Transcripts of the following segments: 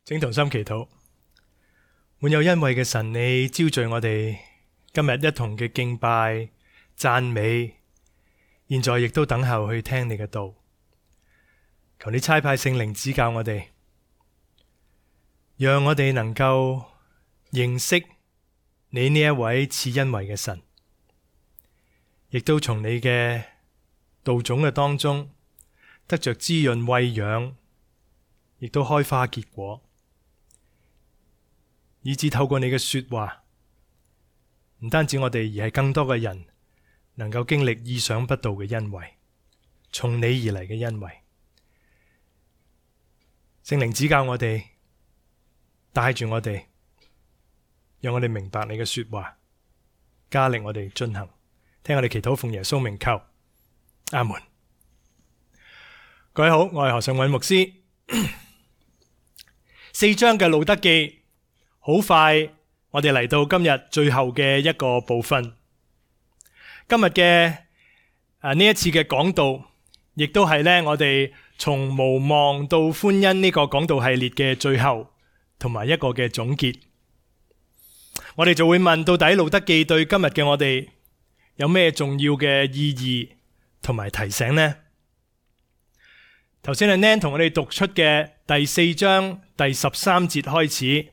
請同心祈禱。滿有恩惠嘅神，你招聚我哋今日一同嘅敬拜讚美，現在亦都等候去聽你嘅道。求你差派聖靈指教我哋，讓我哋能夠認識你呢一位賜恩惠嘅神，亦都從你嘅道種嘅當中得着滋潤餵養，亦都開花結果，以致透過你嘅說話，唔單止我哋，而係更多嘅人能夠經歷意想不到嘅恩惠，從你而嚟嘅恩惠。聖靈指教我哋，帶住我哋，讓我哋明白你嘅說話，加力我哋進行。聽我哋祈禱，奉耶穌名求，阿門。各位好，我係何尚韻牧師。4章嘅路得記，好快我哋嚟到今日最後嘅一個部分。今日嘅呢一次嘅講道，亦都係呢我哋從無望到歡欣呢個講道系列嘅最後，同埋一個嘅總結。我哋就會問，到底路得記對今日嘅我哋有咩重要嘅意義同埋提醒呢？頭先係 Nan 同我哋讀出嘅第4章第13節開始，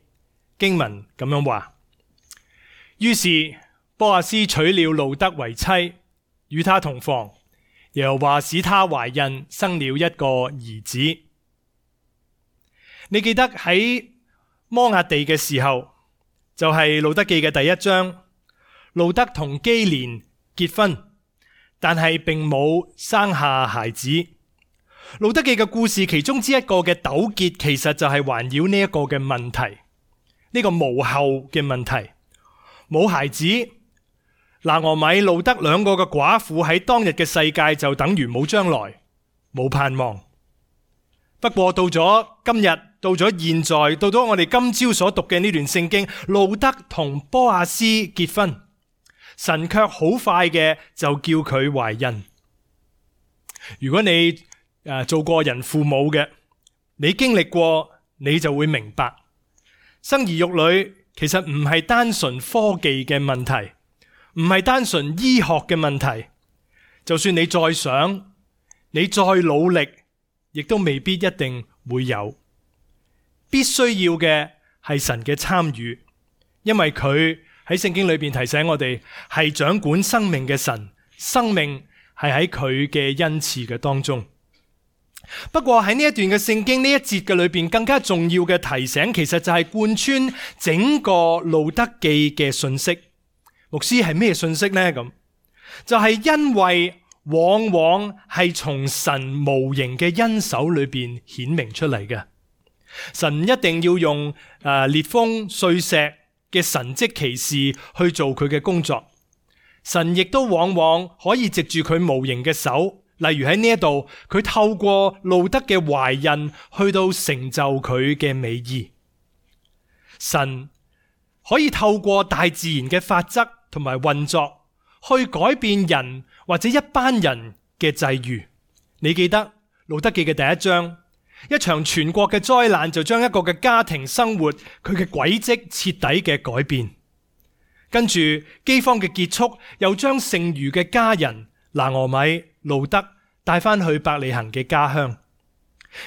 經文咁樣話：於是波阿斯娶了路得為妻，與他同房，耶和華使他懷孕，生了一個兒子。你記得喺摩押地嘅時候，就係路得記嘅第1章，路得同基連結婚，但係並冇生下孩子。路得記嘅故事其中之一個嘅糾結，其實就係環繞呢一個嘅問題，呢個無後嘅問題，冇孩子。拿俄米、路得兩個嘅寡婦喺當日嘅世界就等於冇將來，冇盼望。不過到咗今日，到咗現在，到咗我哋今朝所讀嘅呢段聖經，路得同波阿斯結婚，神卻好快嘅就叫佢懷孕。如果你做過人父母嘅，你經歷過，你就會明白，生兒育女其實唔係單純科技嘅問題，唔係單純醫學嘅問題。就算你再想，你再努力，亦都未必一定會有。必須要嘅係神嘅參與，因為佢喺聖經裏邊提醒我哋，係掌管生命嘅神，生命係喺佢嘅恩賜嘅當中。不過喺呢一段嘅聖經呢一節嘅裏邊，更加重要嘅提醒，其實就係貫穿整個路得記嘅信息。牧師，係咩信息呢？咁就係因為往往係從神無形嘅恩手裏邊顯明出嚟嘅。神一定要用烈風碎石嘅神蹟奇事去做佢嘅工作。神亦都往往可以藉住佢無形嘅手，例如喺呢一度，佢透過路得嘅懷孕去到成就佢嘅美意。神可以透過大自然嘅法則同埋運作，去改變人或者一班人嘅際遇。你記得路得記嘅第1章，一場全國嘅災難就將一個嘅家庭生活佢嘅軌跡徹底嘅改變。跟住饑荒嘅結束，又將剩餘嘅家人拿俄米、路得帶翻去伯利恆嘅家鄉。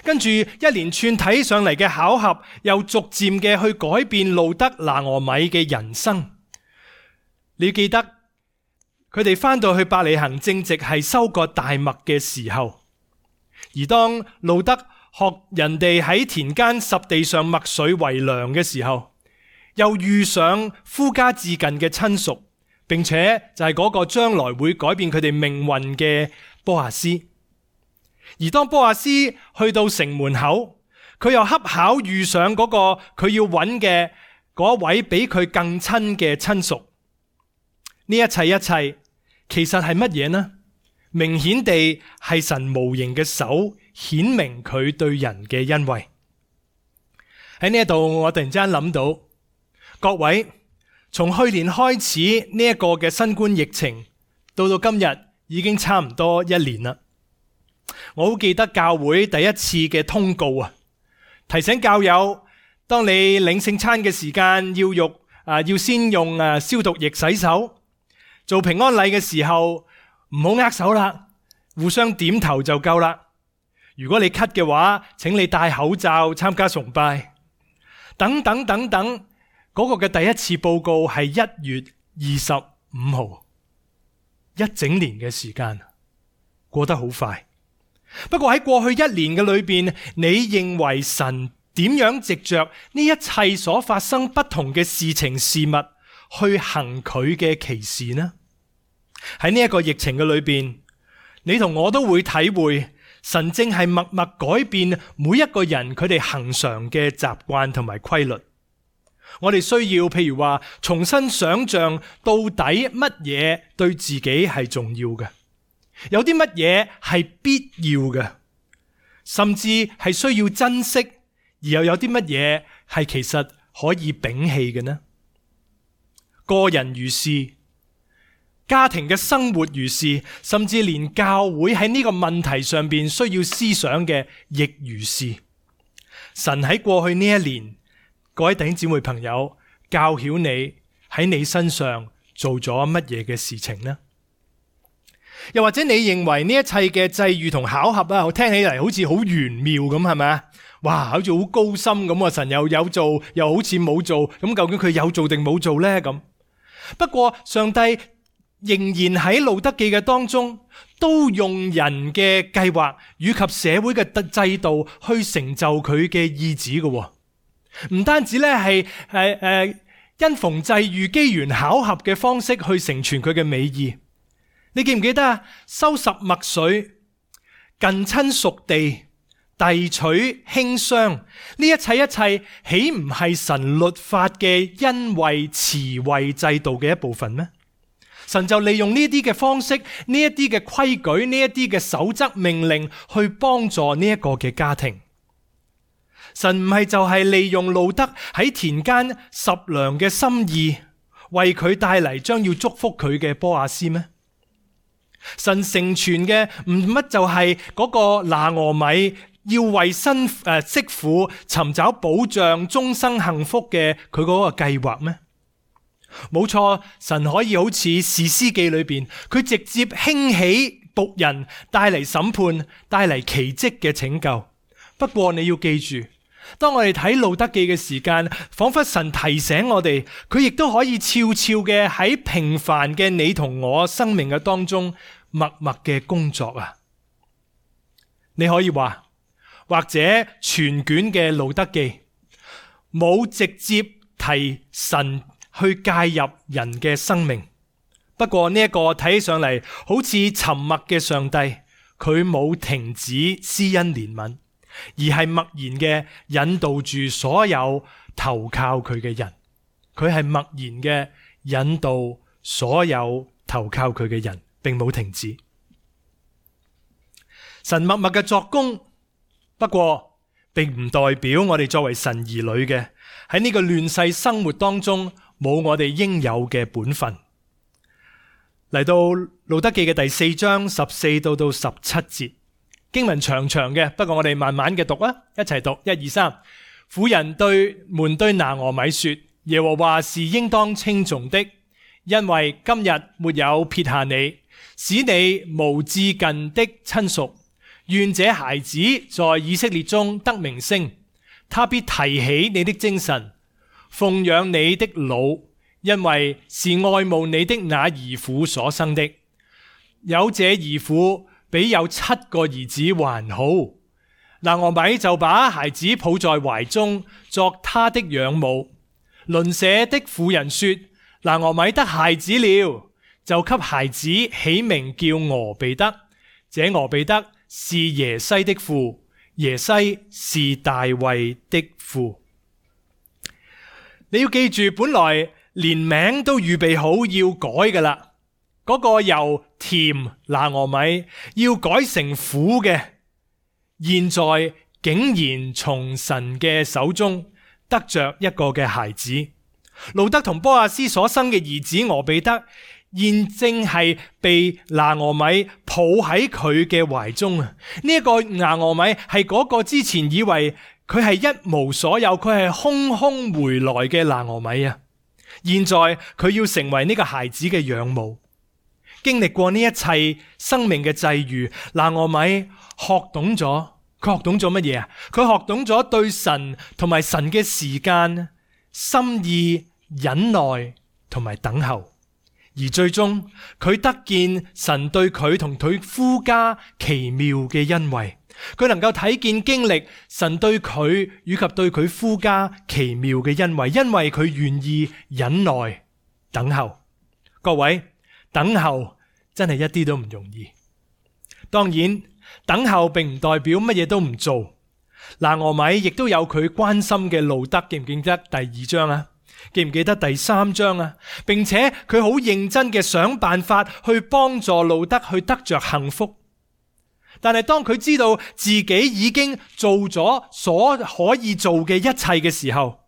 跟住一連串睇上嚟嘅巧合，又逐漸嘅去改變路得、拿俄米嘅人生。你記得佢哋翻到去伯利恆，正值係收割大麥嘅時候，而當路得學人哋喺田間拾地上麥穗為糧嘅時候，又遇上夫家至近嘅親屬，並且就係嗰個將來會改變佢哋命運嘅波阿斯。而當波阿斯去到城門口，佢又恰巧遇上嗰個佢要揾嘅嗰位比佢更親嘅親屬。呢一切其實係乜嘢呢？明顯地係神無形嘅手顯明佢對人嘅恩惠。喺呢度我突然之間諗到，各位從去年開始呢一個嘅新冠疫情，到今日已經差唔多1年啦。我好記得教會第一次嘅通告啊，提醒教友當你領聖餐嘅時間要先用消毒液洗手，做平安禮嘅時候唔好握手啦，互相點頭就夠啦。如果你咳嘅話，請你戴口罩參加崇拜，等等等等。嗰個嘅第一次報告係1月25號，一整年嘅時間過得好快。不過喺過去1年嘅裏邊，你認為神點樣藉着呢一切所發生不同嘅事情事物去行佢嘅奇事呢？喺呢一個疫情嘅裏邊，你同我都會體會神正係默默改變每一個人佢哋恆常嘅習慣同埋規律。我哋需要譬如話重新想象到底乜嘢對自己係重要嘅，有啲乜嘢係必要嘅，甚至係需要珍惜，而又有啲乜嘢係其實可以摒棄嘅呢？個人如是，家庭嘅生活如是，甚至連教會喺呢個問題上邊需要思想嘅亦如是。神喺過去呢一年，各位弟兄姊妹朋友，教曉你喺你身上做咗乜嘢嘅事情呢？又或者你認為呢一切嘅際遇同巧合啊，聽起嚟好似好玄妙咁，係咪啊？哇，好似好高深咁啊！神又有做，又好似冇做，咁究竟佢有做定冇做呢？咁不過上帝仍然喺路德記嘅當中，都用人嘅計劃以及社會嘅制度去成就佢嘅意旨嘅。唔單止咧係因逢際遇機緣巧合嘅方式去成全佢嘅美意。你記唔記得啊？收拾麥穗、近親屬地、遞取馨香，呢一切豈唔係神律法嘅恩惠慈惠制度嘅一部分咩？神就利用呢啲嘅方式、呢一啲嘅規矩、呢一啲嘅守則命令去幫助呢一個嘅家庭。神唔係就係利用路德喺田間拾糧嘅心意，為佢帶嚟將要祝福佢嘅波阿斯咩？神成全嘅唔乜就係嗰個拿俄米要為媳婦尋找保障終生幸福嘅佢嗰個計劃咩？冇錯，神可以好似士師記裏邊，佢直接興起僕人帶嚟審判、帶嚟奇蹟嘅拯救。不過你要記住，當我哋睇路德記嘅時間，仿佛神提醒我哋，佢亦都可以悄悄嘅喺平凡嘅你同我生命嘅當中默默嘅工作啊！你可以話，或者全卷嘅路德記冇直接提神去介入人嘅生命。不過呢一個睇起上嚟好似沉默嘅上帝，佢冇停止施恩憐憫，而係默然嘅引導住所有投靠佢嘅人。佢係默然嘅引導所有投靠佢嘅人，並冇停止。神默默嘅作工，不過並唔代表我哋作為神兒女嘅喺呢個亂世生活當中冇我哋應有嘅本分。嚟到路德記嘅第4章14到17節，經文長長嘅，不過我哋慢慢嘅讀啊，一齊讀，1、2、3。婦人們對拿俄米說：耶和華是應當稱頌的，因為今日沒有撇下你，使你無至近的親屬。願這孩子在以色列中得名聲，他必提起你的精神，奉養你的老，因為是愛慕你的那兒婦所生的。有這兒婦比有7個兒子還好。拿俄米就把孩子抱在懷中，作他的養母。鄰舍的婦人說：拿俄米得孩子了，就給孩子起名叫俄備得。這俄備得是耶西的父，耶西是大衛的父。你要記住，本來連名都預備好要改㗎喇，嗰個由甜拿俄米要改成苦嘅，現在竟然從神嘅手中得着一個嘅孩子。路德同波阿斯所生嘅兒子俄備得，現正係被拿俄米抱喺佢嘅懷中啊！呢一個拿俄米係嗰個之前以為佢係一無所有，佢係空空回來嘅拿俄米啊！現在佢要成為呢個孩子嘅養母，經歷過呢一切生命嘅際遇，拿俄米學懂咗，佢學懂咗乜嘢啊？佢學懂咗對神同埋神嘅時間、心意、忍耐同埋等候，而最終佢得見神對佢同佢夫家奇妙嘅恩惠。佢能夠睇見經歷神對佢以及對佢夫家奇妙嘅恩惠，因為佢願意忍耐等候。各位，等候真係一啲都唔容易。當然，等候並唔代表乜嘢都唔做。拿俄米亦都有佢關心嘅路得，記唔記得第2章啊？記唔記得第3章啊？並且佢好認真嘅想辦法去幫助路得去得着幸福。但係當佢知道自己已經做咗所可以做嘅一切嘅時候，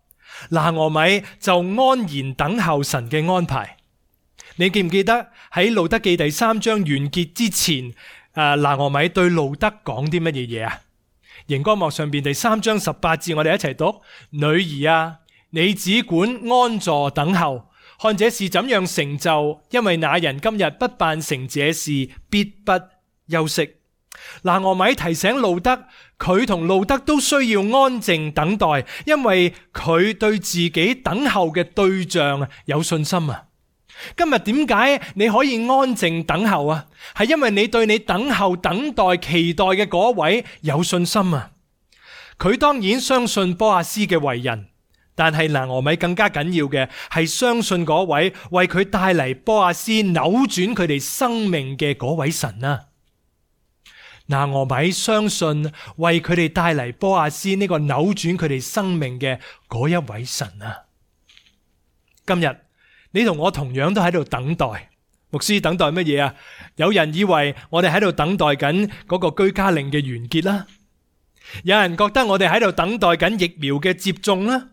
拿俄米就安然等候神嘅安排。你記唔記得喺路得記第3章完結之前，拿俄米對路得講啲乜嘢嘢啊？熒光幕上邊第3章18節，我哋一齊讀：女兒啊，你只管安坐等候，看這事怎樣成就，因為那人今日不辦成這事，必不休息。拿俄米提醒路得，佢同路得都需要安靜等待，因為佢對自己等候嘅對象有信心啊。今日點解你可以安靜等候啊？係因為你對你等候、等待、期待嘅嗰位有信心啊。佢當然相信波阿斯嘅為人，但係拿俄米更加緊要嘅係相信嗰位為佢帶嚟波阿斯扭轉佢哋生命嘅嗰位神啊。拿俄米相信為佢哋帶嚟波阿斯呢個扭轉佢哋生命嘅嗰一位神啊。今日你同我同樣都喺度等待，牧師等待乜嘢啊？有人以為我哋喺度等待緊嗰個居家令嘅完結啦，有人覺得我哋喺度等待緊疫苗嘅接種啦，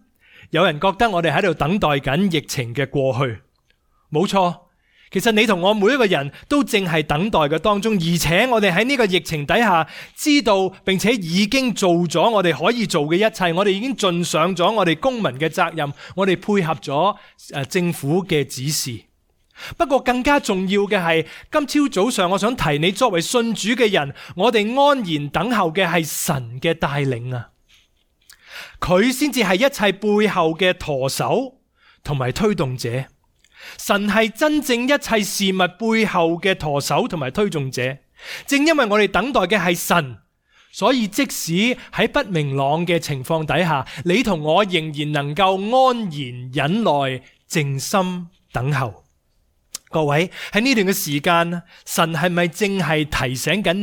有人覺得我哋喺度等待緊疫情嘅過去。冇錯，其實你同我每一個人都正係等待嘅當中，而且我哋喺呢個疫情底下知道並且已經做咗我哋可以做嘅一切，我哋已經盡上咗我哋公民嘅責任，我哋配合咗政府嘅指示。不過更加重要嘅係，今朝早上我想提你，作為信主嘅人，我哋安然等候嘅係神嘅帶領啊！佢先至係一切背後嘅舵手同埋推動者。神係真正一切事物背後嘅舵手同埋推動者。正因為我哋等待嘅係神，所以即使喺不明朗嘅情況底下，你同我仍然能夠安然忍耐、靜心等候。各位，喺呢段嘅時間，神係咪正係提醒緊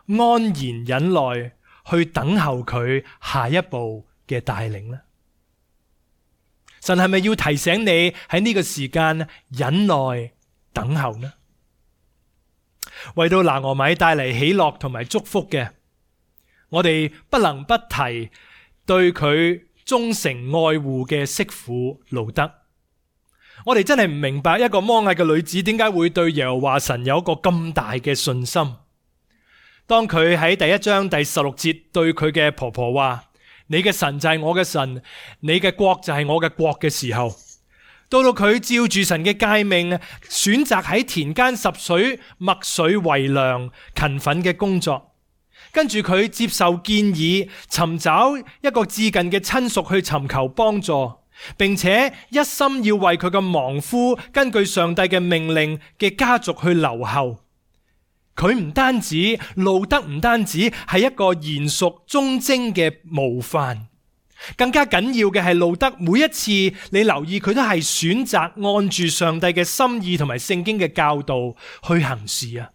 你安然忍耐去等候佢下一步嘅帶領呢？神係咪要提醒你喺呢個時間忍耐等候呢？為到拿俄米帶嚟喜樂同埋祝福嘅，我哋不能不提對佢忠誠愛護嘅媳婦路得。我哋真係唔明白一個摩押嘅女子點解會對耶和華神有一個咁大嘅信心。當佢喺第1章第16節對佢嘅婆婆話：你嘅神就係我嘅神，你嘅國就係我嘅國嘅時候，到到佢照住神嘅誡命，選擇喺田間拾水麥穗為糧，勤奮嘅工作。跟住佢接受建議，尋找一個至近嘅親屬去尋求幫助，並且一心要為佢嘅亡夫根據上帝嘅命令嘅家族去留後。佢唔單止，路得唔單止係一個賢淑忠貞嘅模範，更加緊要嘅係路得每一次你留意佢都係選擇按住上帝嘅心意同埋聖經嘅教導去行事啊！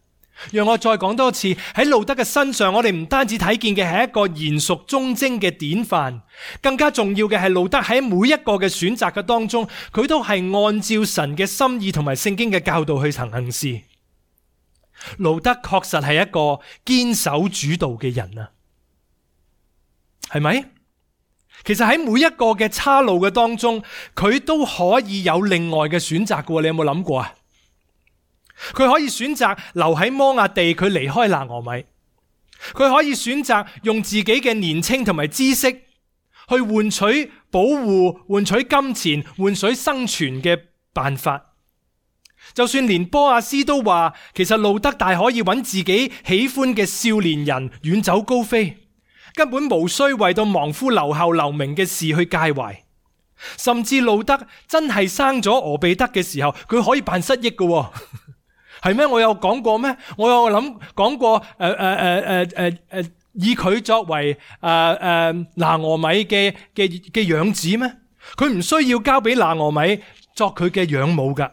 讓我再講多次，喺路得嘅身上，我哋唔單止睇見嘅係一個賢淑忠貞嘅典範，更加重要嘅係路得喺每一個嘅選擇嘅當中，佢都係按照神嘅心意同埋聖經嘅教導去行事。路得確實係一個堅守主道嘅人啊，係咪？其實喺每一個嘅岔路嘅當中，佢都可以有另外嘅選擇嘅，你有冇諗過啊？佢可以選擇留喺摩押地，佢離開拿俄米；佢可以選擇用自己嘅年青同埋知識去換取保護、換取金錢、換取生存嘅辦法。就算連波阿斯都話，其實路德大可以揾自己喜歡嘅少年人遠走高飛，根本無需為到亡夫留後留名嘅事去介懷。甚至路德真係生咗俄備德嘅時候，佢可以扮失憶嘅，係咩？我有講過咩？我有講過以佢作為拿俄米嘅養子咩？佢唔需要交俾拿俄米作佢嘅養母噶。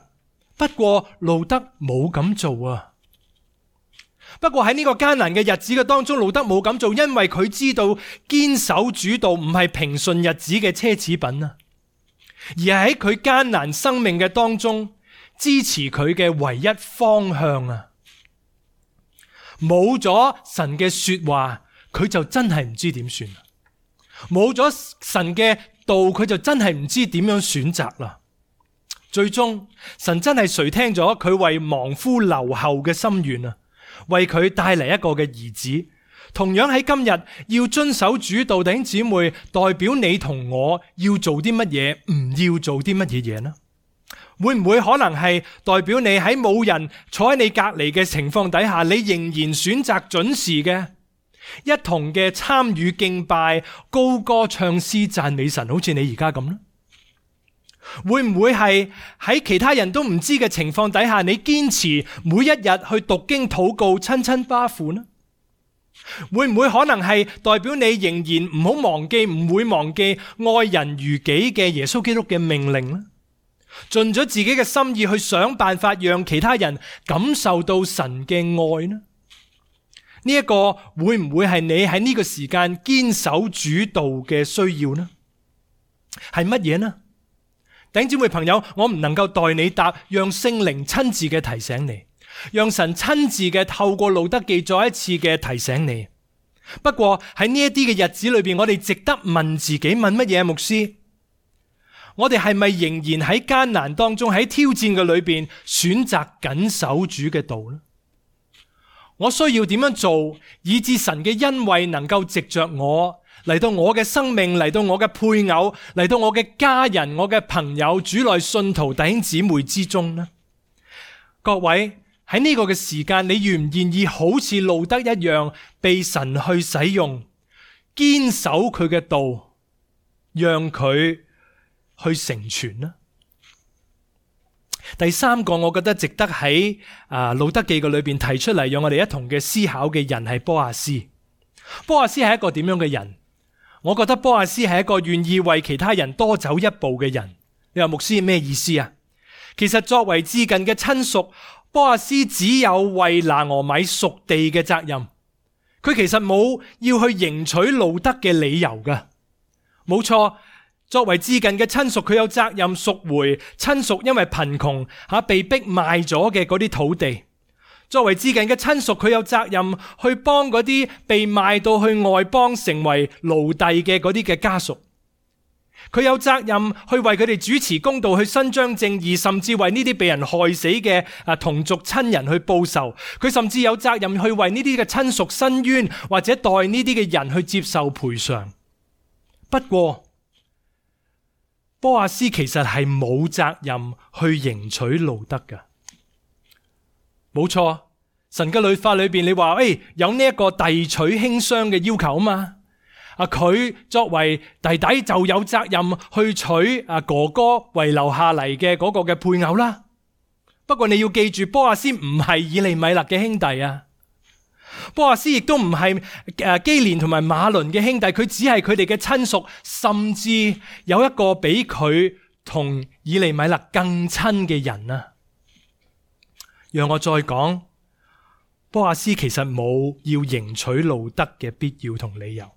不過路德冇咁做啊。不過喺呢個艱難嘅日子嘅當中，路德冇咁做，因為佢知道堅守主道唔係平順日子嘅奢侈品啊，而係喺佢艱難生命嘅當中支持佢嘅唯一方向啊。冇咗神嘅說話，佢就真係唔知點算。冇咗神嘅道，佢就真係唔知點樣選擇啦。最終神真係垂聽咗佢為亡夫留後嘅心願啊，為佢帶嚟一個嘅兒子。同樣喺今日要遵守主道，弟兄姊妹，代表你同我要做啲乜嘢，唔要做啲乜嘢嘢呢？會唔會可能係代表你喺冇人坐喺你隔離嘅情況底下，你仍然選擇準時嘅一同嘅參與敬拜、高歌唱詩讚美神，好似你而家咁呢？會唔會係喺其他人都唔知嘅情況底下，你堅持每一日去讀經禱告、親親巴父呢？會唔會可能係代表你仍然唔好忘記、唔會忘記愛人如己嘅耶穌基督嘅命令呢？盡咗自己嘅心意去想辦法讓其他人感受到神嘅愛呢？呢一個會唔會係你喺呢個時間堅守主道嘅需要呢？係乜嘢呢？弟兄姊妹朋友，我唔能夠代你答，讓聖靈親自嘅提醒你，讓神親自嘅透過路德記再一次嘅提醒你。不過喺呢一啲嘅日子裏邊，我哋值得問自己，問乜嘢？牧師，我哋係咪仍然喺艱難當中，喺挑戰嘅裏邊選擇緊守主嘅道呢？我需要點樣做，以致神嘅恩惠能夠藉着我嚟到我嘅生命，嚟到我嘅配偶，嚟到我嘅家人、我嘅朋友、主內信徒弟兄姊妹之中呢？各位，喺呢個嘅時間，你願唔願意好似路德一樣被神去使用，堅守佢嘅道，讓佢去成全呢？第三個我覺得值得喺路德記嘅裏邊提出嚟，讓我哋一同嘅思考嘅人係波阿斯。波阿斯係一個點樣嘅人？我覺得波阿斯係一個願意為其他人多走一步嘅人。你話牧師咩意思啊？其實作為至近嘅親屬，波阿斯只有為拿俄米贖地嘅責任，佢其實冇要去迎娶路德嘅理由㗎。冇錯。作為至近嘅親屬，佢有責任贖回親屬因為貧窮被逼賣咗嘅嗰啲土地。作為至近嘅親屬，佢有責任去幫嗰啲被賣到去外邦成為奴隸嘅嗰啲嘅家屬。佢有責任去為佢哋主持公道，去伸張正義，甚至為呢啲被人害死嘅同族親人去報仇。佢甚至有責任去為呢啲嘅親屬申冤，或者代呢啲嘅人去接受賠償。不過波阿斯其實係冇責任去迎娶路德㗎。冇錯，神嘅律法裏邊你話有呢一個弟娶馨香嘅要求啊嘛。佢作為弟弟就有責任去娶哥哥遺留下嚟嘅嗰個嘅配偶啦。不過你要記住，波阿斯唔係以利米勒嘅兄弟啊。波阿斯亦都唔係基連同埋馬倫嘅兄弟，佢只係佢哋嘅親屬，甚至有一個比佢同以利米勒更親嘅人啊。讓我再講，波阿斯其實冇要迎娶路德嘅必要同理由。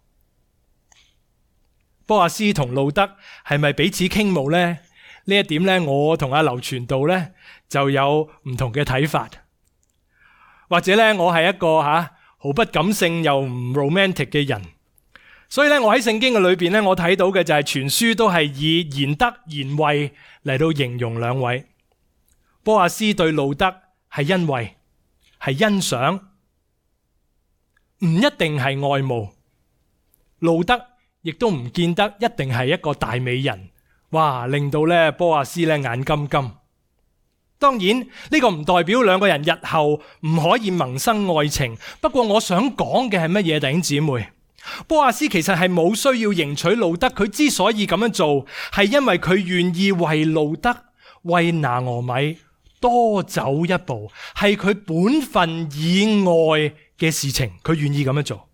波阿斯同路德係咪彼此傾慕呢？呢一點呢，我同阿劉傳道呢就有唔同嘅睇法。或者呢，我係一個毫不感性又唔 romantic 嘅人，所以呢，我喺聖經嘅裏邊呢，我睇到嘅就係全書都係以賢德賢惠嚟到形容兩位。波阿斯對路德係恩惠，係欣賞。唔一定係外貌，路得亦都唔見得一定係一個大美人，哇，令到咧波阿斯咧眼金金。當然呢個唔代表兩個人日後唔可以萌生愛情，不過我想講嘅係乜嘢，弟兄姊妹？波阿斯其實係冇需要迎娶路得，佢之所以咁樣做，係因為佢願意為路得、為拿俄米多走一步，係佢本分以外嘅事情，佢願意咁樣做。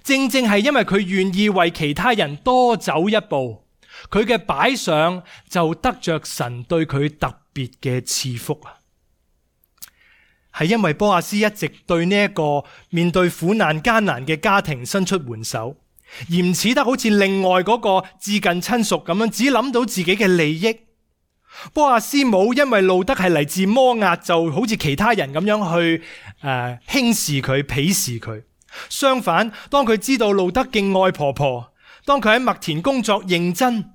正正係因為佢願意為其他人多走一步，佢嘅擺上就得着神對佢特別嘅賜福啊！係因為波阿斯一直對呢一個面對苦難艱難嘅家庭伸出援手，而唔似得好似另外嗰個至近親屬咁樣，只諗到自己嘅利益。波阿斯冇因為路得係嚟自摩押，就好似其他人咁樣去輕視佢、鄙視佢。相反，當佢知道路得敬愛婆婆，當佢喺麥田工作認真，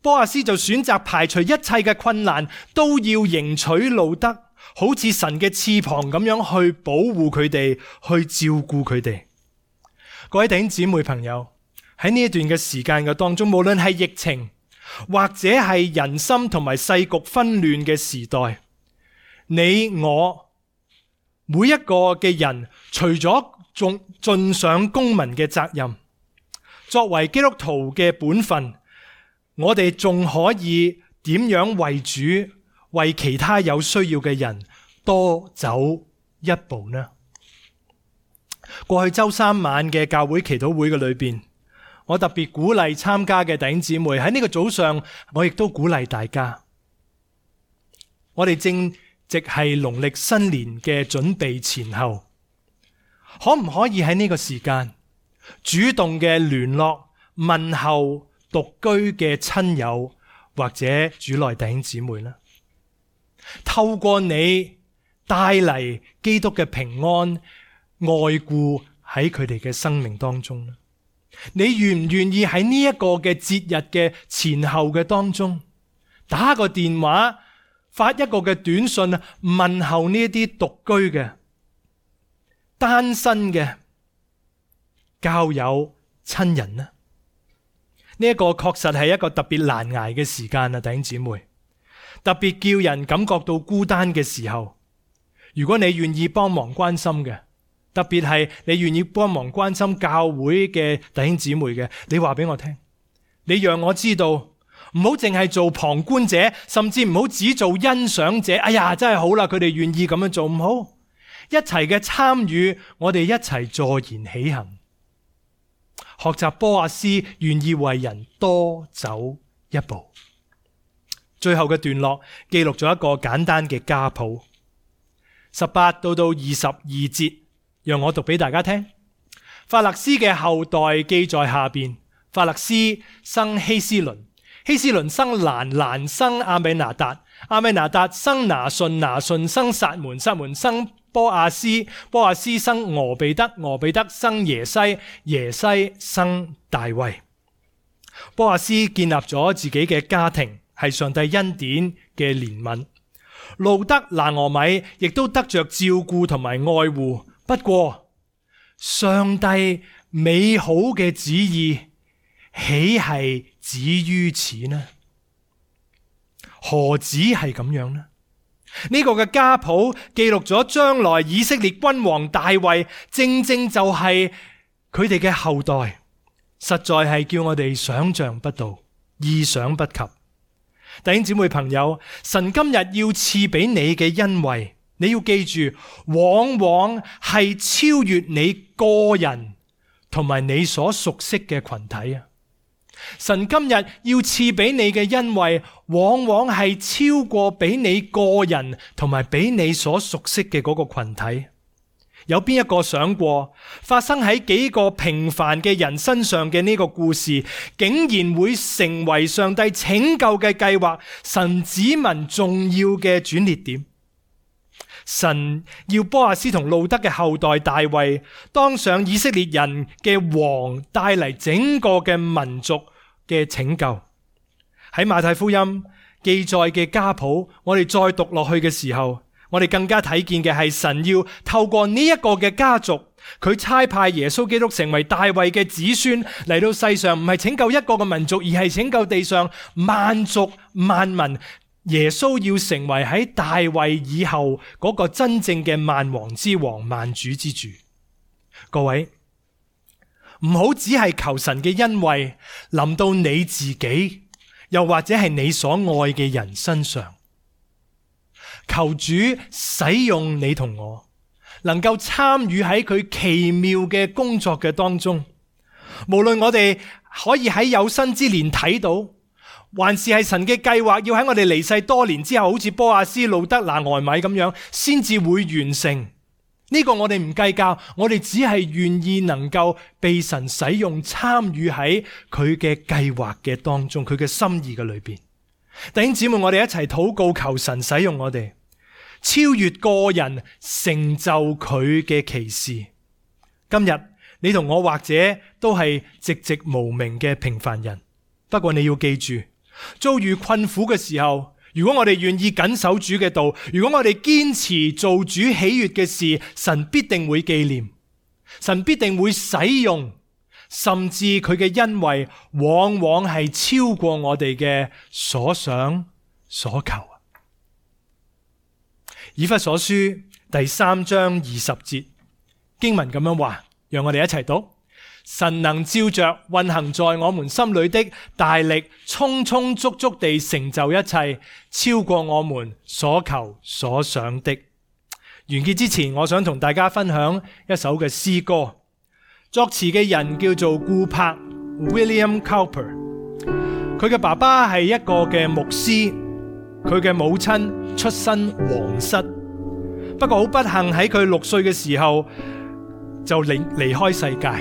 波阿斯就選擇排除一切嘅困難，都要迎娶路得，好似神嘅翅膀咁樣去保護佢哋，去照顧佢哋。各位弟兄姊妹朋友，喺呢一段嘅時間嘅當中，無論係疫情或者係人心同埋世局紛亂嘅時代，你我每一個嘅人，除咗盡上公民嘅責任，作為基督徒嘅本分，我哋仲可以點樣為主、為其他有需要嘅人多走一步呢？過去周三晚嘅教會祈禱會嘅裏邊，我特別鼓勵參加嘅弟兄姊妹，喺呢個早上，我亦都鼓勵大家。我哋正值係農曆新年嘅準備前後，可唔可以喺呢個時間主動嘅聯絡問候獨居嘅親友或者主內弟兄姊妹呢？透過你帶嚟基督嘅平安愛顧喺佢哋嘅生命當中呢？你願唔願意喺呢一個嘅節日嘅前後嘅當中，打個電話，發一個嘅短信問候呢一啲獨居嘅、單身嘅教友親人呢？呢一個確實係一個特別難捱嘅時間啊，弟兄姊妹，特別叫人感覺到孤單嘅時候，如果你願意幫忙關心嘅，特別係你願意幫忙關心教會嘅弟兄姊妹嘅，你話俾我聽，你讓我知道，唔好淨係做旁觀者，甚至唔好只做欣賞者。哎呀，真係好啦，佢哋願意咁樣做，唔好一齊嘅參與，我哋一齊坐言起行，學習波阿斯願意為人多走一步。最後嘅段落記錄咗一個簡單嘅家譜，18到22節。讓我讀俾大家聽。法勒斯嘅後代記在下邊。法勒斯生希斯倫，希斯倫生蘭，蘭生亞米拿達，亞米拿達生拿順，拿順生撒門，撒門生波阿斯，波阿斯生俄備德，俄備德生耶西，耶西生大衛。波阿斯建立咗自己嘅家庭，係上帝恩典嘅憐憫。路得、拿俄米亦都得着照顧同埋愛護。不過，上帝美好嘅旨意豈係止於此呢？何止係咁樣呢？呢個嘅家譜記錄咗將來以色列君王大衛，正正就係佢哋嘅後代，實在係叫我哋想象不到、意想不及。弟兄姊妹朋友，神今日要賜俾你嘅恩惠，你要記住，往往係超越你個人同埋你所熟悉嘅群體啊！神今日要賜俾你嘅恩惠，往往係超過俾你個人同埋俾你所熟悉嘅嗰個群體。有邊一個想過發生喺幾個平凡嘅人身上嘅呢個故事，竟然會成為上帝拯救嘅計劃，神子民重要嘅轉捩點？神要波阿斯同路得嘅後代大衛當上以色列人嘅王，帶嚟整個嘅民族嘅拯救。喺馬太福音記載嘅家譜，我哋再讀落去嘅時候，我哋更加睇見嘅係神要透過呢一個嘅家族，佢差派耶穌基督成為大衛嘅子孫嚟到世上，唔係拯救一個嘅民族，而係拯救地上萬族萬民。耶穌要成為喺大衛以後嗰個真正嘅萬王之王、萬主之主。各位，唔好只係求神嘅恩惠臨到你自己，又或者係你所愛嘅人身上。求主使用你同我，能夠參與喺佢奇妙嘅工作嘅當中。無論我哋可以喺有生之年睇到，還是係神嘅計劃要喺我哋離世多年之後，好似波阿斯、路德、拿俄米咁樣，先至會完成。呢個我哋唔計較，我哋只係願意能夠被神使用，參與喺佢嘅計劃嘅當中，佢嘅心意嘅裏邊。弟兄姊妹，我哋一齊禱告，求神使用我哋，超越個人，成就佢嘅奇事。今日你同我或者都係寂寂無名嘅平凡人，不過你要記住，遭遇困苦嘅時候，如果我哋願意謹守主嘅道，如果我哋堅持做主喜悅嘅事，神必定會紀念，神必定會使用，甚至佢嘅恩惠往往係超過我哋嘅所想所求。以弗所書第3章20節經文咁樣話，讓我哋一齊讀。神能照着運行在我們心裏的大力，充充足足地成就一切，超過我們所求所想的。完結之前，我想同大家分享一首嘅詩歌，作詞嘅人叫做顧柏 William Cowper。佢嘅爸爸係一個嘅牧師，佢嘅母親出身皇室，不過好不幸喺佢6歲嘅時候就離開世界。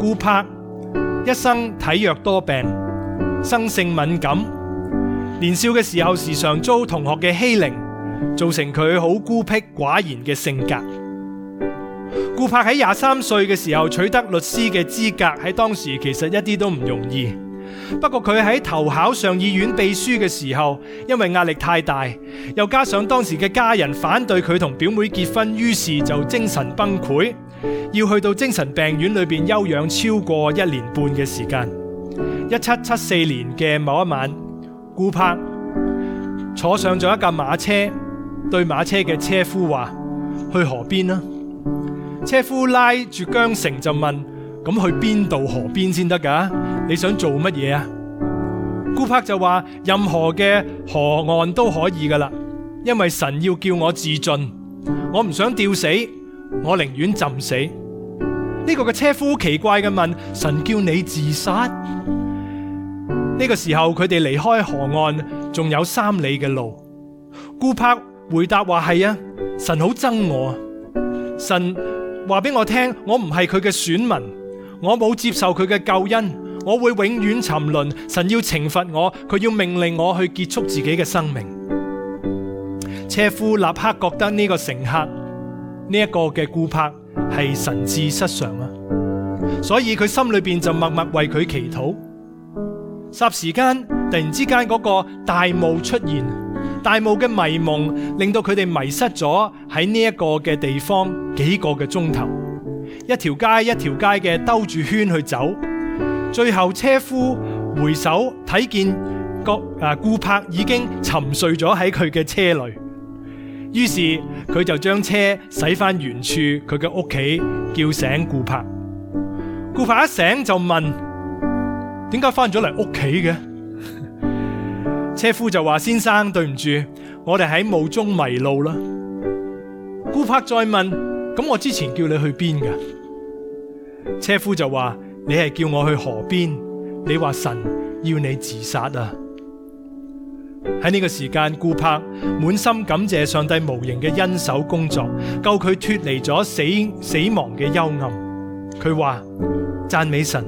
顧柏一生體弱多病，生性敏感，年少嘅時候時常遭同學嘅欺凌，造成佢好孤僻寡言嘅性格。顧柏喺23歲嘅時候取得律師嘅資格，喺當時其實一啲都唔容易。不過佢喺投考上議院秘書嘅時候，因為壓力太大，又加上當時嘅家人反對佢同表妹結婚，於是就精神崩潰，要去到精神病院裏邊休養超過1年半嘅時間。1774年嘅某一晚，顧柏坐上咗一架馬車，對馬車嘅車夫話：去河邊啦。車夫拉住韁繩就問：咁去邊度河邊先得㗎？你想做乜嘢啊？顧柏就話：任何嘅河岸都可以㗎啦，因為神要叫我自盡，我唔想吊死，我寧願浸死。呢個嘅車夫奇怪嘅問：神叫你自殺？呢個時候佢哋離開河岸仲有3里嘅路。顧柏回答話：係啊，神好憎我，神話俾我聽，我唔係佢嘅選民，我冇接受佢嘅救恩，我會永遠沉淪。神要懲罰我，佢要命令我去結束自己嘅生命。車夫立刻覺得呢個乘客呢一個嘅顧柏係神志失常啊，所以佢心裏邊就默默為佢祈禱。霎時間，突然之間嗰個大霧出現，大霧嘅迷蒙令到佢哋迷失咗喺呢一個嘅地方幾個嘅鐘頭，一條街一條街嘅兜住圈去走，最後車夫回首睇見顧柏已經沉睡咗喺佢嘅車裏，於是佢就將車駛返原處佢嘅屋企，叫醒顧柏。顧柏一醒就問：點解返咗嚟屋企嘅？車夫就話：先生，對唔住，我哋喺霧中迷路啦。顧柏再問：咁我之前叫你去邊㗎？車夫就話：你係叫我去河邊，你話神要你自殺啊！喺呢個時間，顧柏滿心感謝上帝無形嘅恩手工作，救佢脫離咗死亡嘅幽暗。佢話：讚美神，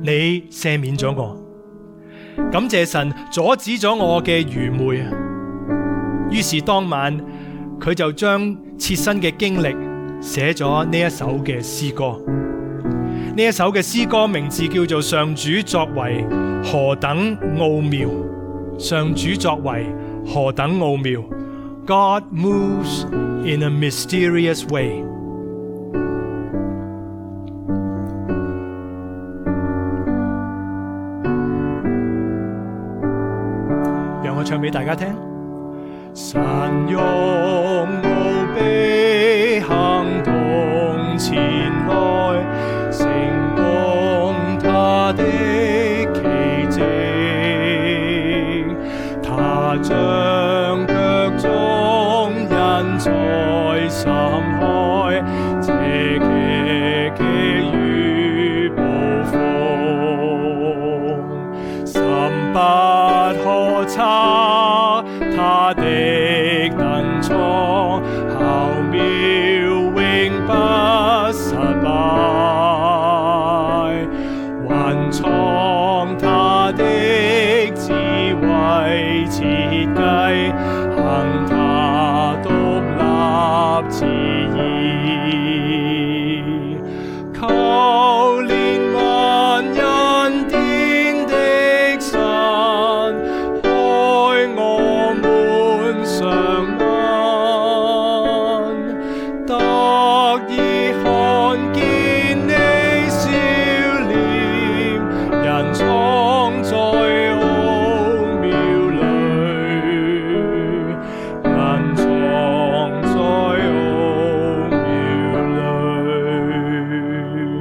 你赦免咗我，感謝神阻止咗我嘅愚昧啊！於是當晚佢就將切身嘅經歷寫咗呢一首嘅詩歌。呢一首嘅詩歌名字叫做《上主作為何等奧妙》。上主作為何等奧妙 ，God moves in a mysterious way。唱俾大家聽。神用奧秘行動前來，成功他的奇蹟，他將腳蹤人在深海，這奇遇暴風，深不可測他的能創，巧妙永不失敗，蘊藏他的智慧設計，行他獨立旨意，求憐憫恩典的神，開我們上眼，得以看見你笑臉，人藏在奧妙裡，人藏在奧妙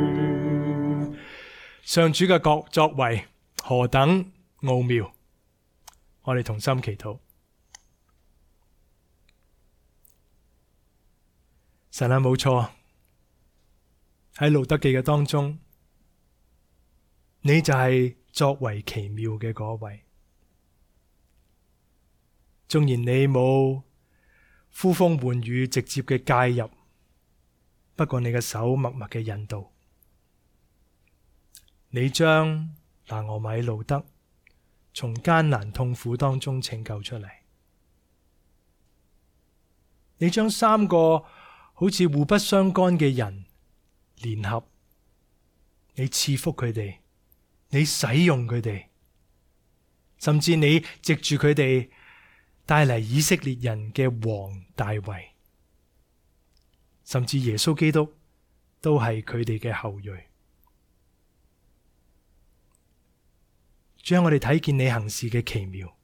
裡。上主嘅作為何等奧妙，我哋同心祈禱。神啊，冇錯，喺路德記嘅當中，你就係作為奇妙嘅嗰位。縱然你冇呼風喚雨直接嘅介入，不過你嘅手默默嘅引導，你將拿俄米、路德從艱難痛苦當中拯救出嚟，你將三個好似互不相干嘅人聯合，你賜福佢哋，你使用佢哋，甚至你藉住佢哋帶嚟以色列人嘅王大衛，甚至耶穌基督都係佢哋嘅後裔。主啊，我哋睇見你行事嘅奇妙，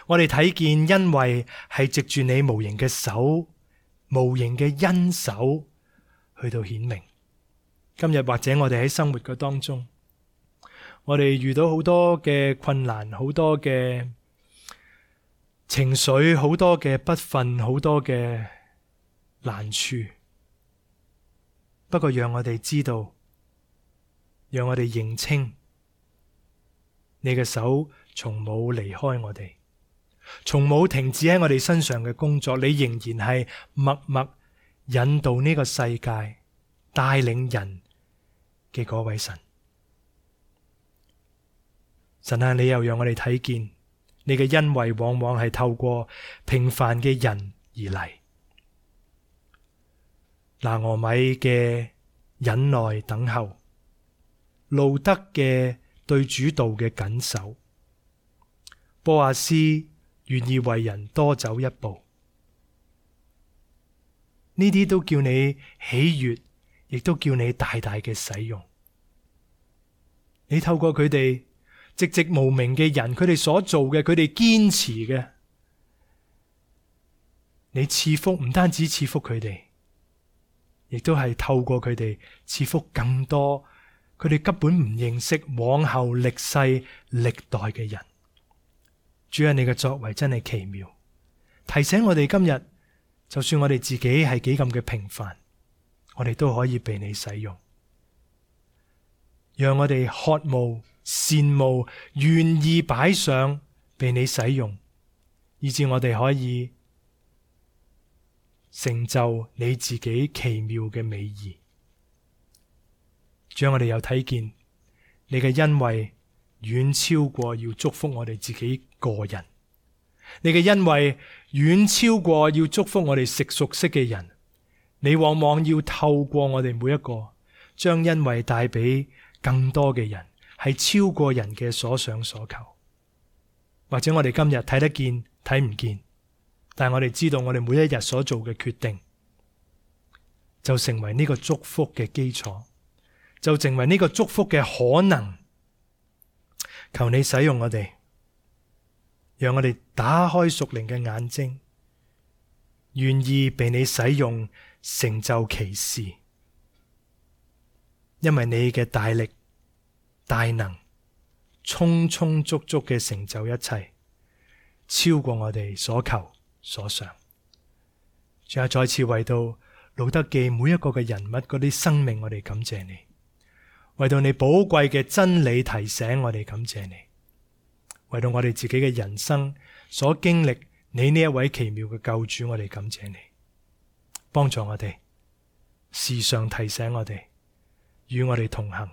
我哋睇見因為係藉住你無形嘅手，無形嘅恩手去到顯明。今日或者我哋喺生活嘅當中，我哋遇到好多嘅困難，好多嘅情緒，好多嘅不忿，好多嘅難處。不過讓我哋知道，讓我哋認清，你嘅手從冇離開我哋，從冇停止喺我哋身上嘅工作，你仍然係默默引導呢個世界，帶領人嘅嗰位神。神啊，你又讓我哋睇見你嘅恩惠往往係透過平凡嘅人而嚟。拿俄米嘅忍耐等候，路德嘅對主道嘅謹守，波阿斯願意為人多走一步，呢啲都叫你喜悅，亦都叫你大大嘅使用。你透過佢哋寂寂無名嘅人，佢哋所做嘅，佢哋堅持嘅，你賜福，唔單止賜福佢哋，亦都係透過佢哋賜福更多佢哋根本唔認識往後歷世歷代嘅人。主啊，你嘅作為真係奇妙，提醒我哋今日就算我哋自己係幾咁嘅平凡，我哋都可以被你使用，讓我哋渴慕、羨慕、願意擺上被你使用，以致我哋可以成就你自己奇妙嘅美意。主啊，我哋又睇見你嘅恩惠遠超過要祝福我哋自己個人，你嘅恩惠遠超過要祝福我哋食熟悉嘅人，你往往要透過我哋每一個，將恩惠帶俾更多嘅人，係超過人嘅所想所求。或者我哋今日睇得見睇唔見，但係我哋知道我哋每一日所做嘅決定，就成為呢個祝福嘅基礎，就成為呢個祝福嘅可能。求你使用我哋，讓我哋打開屬靈嘅眼睛，願意被你使用成就奇事，因為你嘅大力大能充充足足嘅成就一切，超過我哋所求所想。最後再次為到路德記每一個嘅人物嗰啲生命，我哋感謝你；為到你寶貴嘅真理提醒，我哋感謝你；為到我哋自己嘅人生所經歷你呢一位奇妙嘅救主，我哋感謝你。幫助我哋，時常提醒我哋，與我哋同行，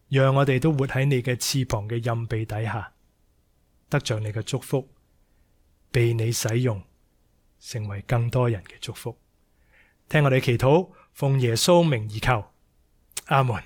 讓我哋都活喺你嘅翅膀嘅蔭庇底下，得着你嘅祝福，被你使用，成為更多人嘅祝福。聽我哋祈禱，奉耶穌名而求，阿門。